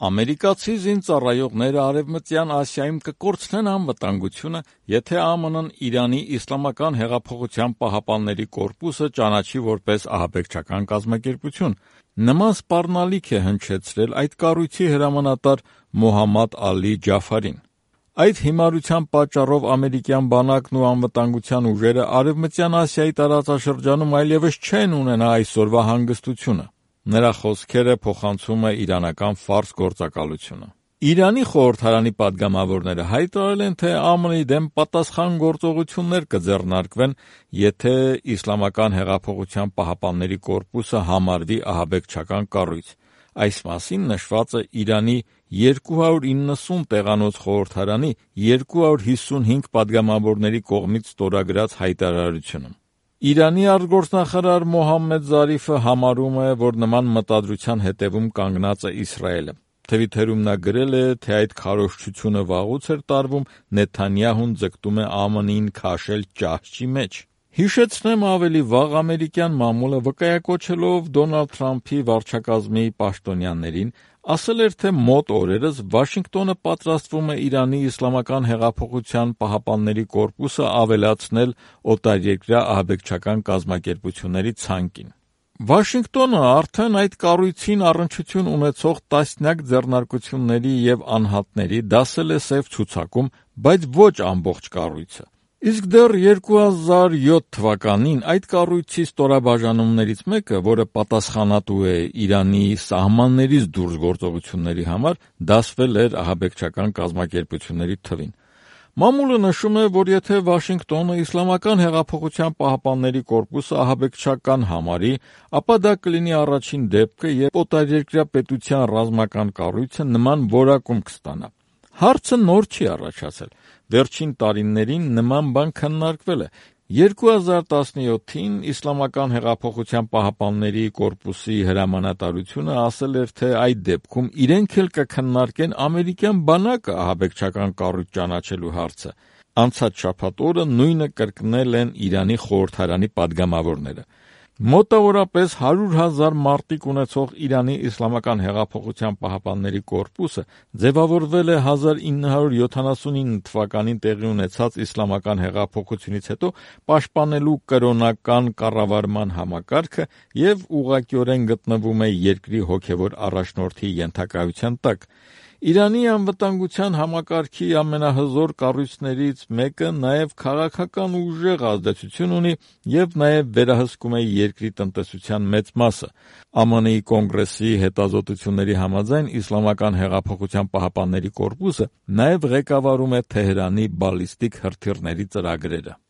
Ամերիկացի զինծառայողները Արևմտյան Ասիայում կկորցնեն անվտանգությունը, եթե ԱՄՆ-ն Իրանի Իսլամական հեղափոխության պահապանների կորպուսը ճանաչի որպես ահաբեկչական կազմակերպություն։ Նման սպառնալիք է հնչեցրել այդ կառույցի հրամանատար Մոհամմադ Ալի Ջաֆարին։ Այդ հիմարության պատճառով ամերիկյան բանակն ու անվտանգության ուժերը Արևմտյան Ասիայի տարածաշրջանում այլևս չեն ունենա այսօրվա հանգստությունը։ Նրա խոսքերը փոխանցում է իրանական ֆարս գործակալությունը։ Իրանի խորհրդարանի պատգամավորները հայտարարել են, թե ԱՄՆ-ի դեմ պատասխան գործողություններ կձեռնարկվեն, եթե Իսլամական հեղափոխության պահապանների կորպուսը համարվի ահաբեկչական կառույց։ Այս մասին նշված է Իրանի 290 տեղանոց խորհրդարանի 255 պատգամավորների կողմից ստորագրած հայտարարությունում։ Իրանի արտգործնախարար Մոհամմեդ Զարիֆը համարում է, որ նման մտադրության հետևում կանգնած է Իսրայելը։ Թվիթերում նա գրել է, թե այդ քարոզչությունը վաղուց էր տարվում, Նեթանյահուն ձգտում է ԱՄՆ-ին քաշել ճահճի մեջ։ Հիշեցնեմ ավելի վաղ ամերիկյան մամուլը վկայակոչելով Դոնալդ Թրամփի վարչակազմի պաշտոնյաներին, ասել էր, թե մոտ օրերս Վաշինգտոնը պատրաստվում է Իրանի Իսլամական հեղափոխության պահապանների կորպուսը ավելացնել օտարերկրյա ահաբեկչական կազմակերպությունների ցանկին։ Վաշինգտոնը արդեն այդ կառույցին առնչություն ունեցող տասնյակ ձեռնարկությունների և անհատների դասել է սև ցուցակում, բայց ոչ ամբողջ կառույցը։ Իսկ դեռ 2007 թվականին այդ կառույցի ստորաբաժանումներից մեկը, որը պատասխանատու է Իրանի սահմաններից դուրս գործողությունների համար, դասվել էր ահաբեկչական կազմակերպությունների թվին։ Մամուլը նշում է, որ եթե Վաշինգտոնը Իսլամական հեղափոխության պահապանների կորպուսը ահաբեկչական համարի, ապա դա կլինի առաջին դեպքը, երբ օտարերկրյա պետության ռազմական կառույցը նման որակում կստանա։ Հարցը նոր չի առաջացել։ Վերջին տարիներին նման բան քննարկվել է։ 2017-ին Իսլամական հեղափոխության պահապանների կորպուսի հրամանատարությունը ասել էր, թե այդ դեպքում իրենք էլ կքննարկեն ամերիկյան բանակը ահաբեկչական կառույց ճանաչելու հարցը։ Անցած շաբաթ օրը նույնը կրկնել են Իրանի խորհրդարանի պատգամավորները։ Մոտավորապես 100,000 մարտիկ ունեցող Իրանի Իսլամական հեղափոխության պահապանների կորպուսը ձևավորվել է 1979 թվականին տեղի ունեցած իսլամական հեղափոխությունից հետո պաշտպանելու կրոնական կառավարման համակարգը և ուղղակիորեն գտնվում է երկրի հոգևոր առաջնորդի ենթակայության տակ։ Իրանի անվտանգության համակարգի ամենահզոր կառույցներից մեկը նաև քաղաքական ուժեղ ազդեցություն ունի և նաև վերահսկում է երկրի տնտեսության մեծ մասը։ ԱՄՆ-ի Կոնգրեսի հետազոտությունների համաձայն Իսլամական հեղափոխության պահապանների կորպուսը նաև ղեկավարում է Թեհրանի բալիստիկ հրթիռների ծրագրերը։